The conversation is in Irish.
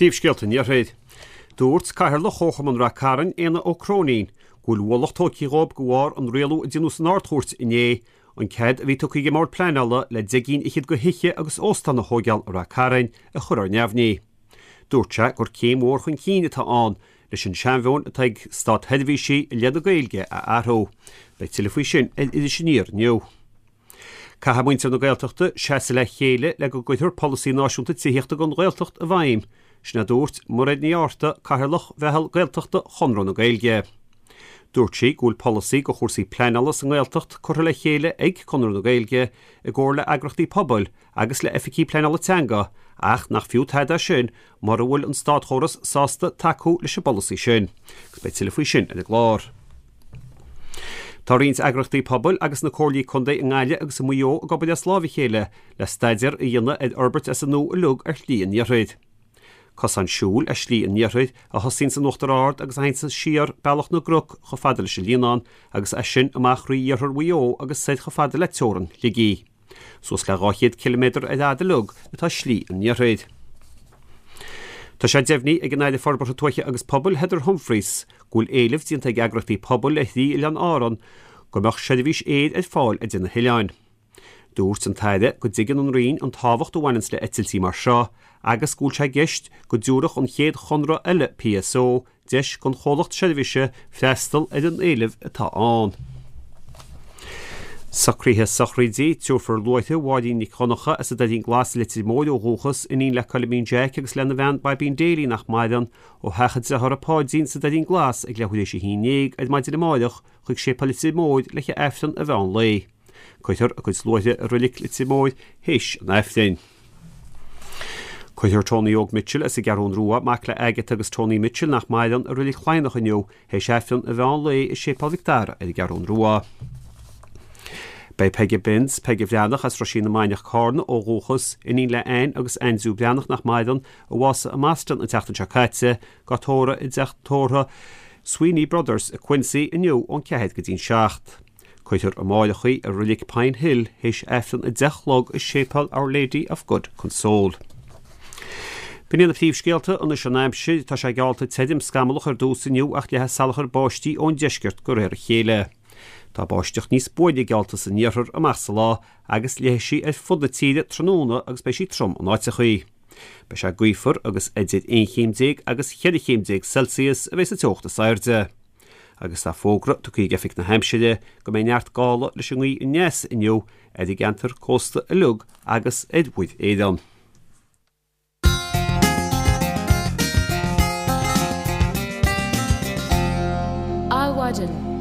Príomhscéalta an Iarthair. Dúirt Cathaoirleach Chomharchumann Rath Cairn, Éanna Ó Cróinín, go bhfuil ualach tógtha dhóibh de bharr an rialú a déanadh san Ard-Chúirt inné, an cead a bhí tugtha ag an mBord Pleanála le 10 gcinn fhichead de thithe agus óstán a thóigeáil i Rath Cairn a chur ar neamhní. Dúirt sé gur céim mhór chun cinn atá ann leis an seanmheon atá ag státsheirbhísigh i leith na Gaeilge a athrú. Beidh tuilleadh faoi sin ar Iris Aniar inniu. Caithfidh muintir na Gaeltachta seasamh le chéile le go gcuirfear polasaí náisiúnta tithíochta don Ghaeltacht i bhfeidhm, sin a dúirt Mairéad Ní Fhátharta, Cathaoirleach Mheitheal Gaeltachta Chonradh na Gaeilge. Dúirt sí go bhfuil polasaí do chúrsaí pleanála sa nGaeltacht curtha le chéile ag Conradh na Gaeilge i gcomhar le eagrachtaí pobail agus le oifigí pleanála teanga ach nach fiú tada é sin mura bhfuil an státchóras sásta tacú leis an bpolasaí sin. Agus beidh tuilleadh faoi sin ar an gclár. Tá roinnt eagraíochtaí pobail agus na comhairlí contae i nGaillimh agus i Maigh Eo ag obair as láimh a chéile le staidéar a dhéanamh ar fhorbairt as an nua uilig ar Shlí an Iarthair. Cosán siúil é Slí an Iarthair a thosaíonn san Uachtar Ard agus a théann siar Bealach na gCnoc chomh fada leis an Líonán agus as sin amach thrí iarthar Mhaigh Eo agus soir chomh fada le teorainn Shligigh. Suas le 200 ciliméadar ar fhad uilig atá Slí an Iarthair. Tá sé deimhnithe ag an Aire Forbartha Tuaithe agus Pobail, Heather Humphreys, go bhfuil éileamh déanta ag eagraíochtaí pobail ar thrí oileán Árann go mbeadh seirbhís aeir ar fáil idir na hoileáin. Dúirt an tAire go dtuigeann an Roinn an tábhacht a bhaineanns le eitiltí mar seo agus go bhfuil sé i gceist go dtabharfadh an chéad chonradh eile PSO deis don chomhlacht seirbhíse freastal ar an éileamh atá ann. Socruithe sochraide, Tabharfar luaithreamh Mháirín Nic Dhonncha as an Doirín Glas i Leitir Móir ó dhúchas, iníon le Coilimín Jeaic agus lena bhean Baibín Daly nach maireann, ó theach a dearthára Páidín sa Doirín Glas ag leathuair théis 11 ar maidin amáireach chuig Séipéal Leitir Móir le haghaidh Aifreann an mheán lae. Cuirfear a cuid luaithre i Reilig Leitir Móir théis an Aifrinn. Cuirfear Tony Óg Mitchell as an gCeathrún Rua, mac le Agatha agus Tony Mitchell nach maireann, i Reilig Chladhnach inniu théis Aifreann an mheán lae i Séipéal Mhic Dara ar an gCeathrún Rua. Beidh Peige Binns, Peige Bhreathnach as Roisín na Mainiach, Cárna ó dhúchas, iníon le Anne agus Aindriú Breathnach nach maireann, a bhásaigh i mBoston an tseachtain seo caite, á tórramh i dteach tórraimh Sweeney Brothers i Quincy inniu ón 4 go dtí'n 7. Cuirfear amáireach í i Reilig Pine Hill théis Aifreann 10 a chlog i Séipéal Our Lady of Good Console. B'in iad na príomhscéalta anois an aimsir. Tá sé geallta tirim scamallach ar dtús inniu ach léifidh salachar báistí ón deisceart de réir a chéile. Tá báisteach níos buaine geallta san iarthar amach sa lá agus léifidh sí ar fud na tíre tráthnóna agus beidh sí trom in áiteachaí. Beidh sé gaofar agus idir 11 chéim agus 14 chéim Celsius a bheidh sa teocht is airde. Agus tá fógra tugtha ag Oifig na hAimsire go mbeidh neart gála leis an ngaoth aneas inniu ar an gceantar cósta uilig agus ar Mhuir Éireann. Adhmhaidin.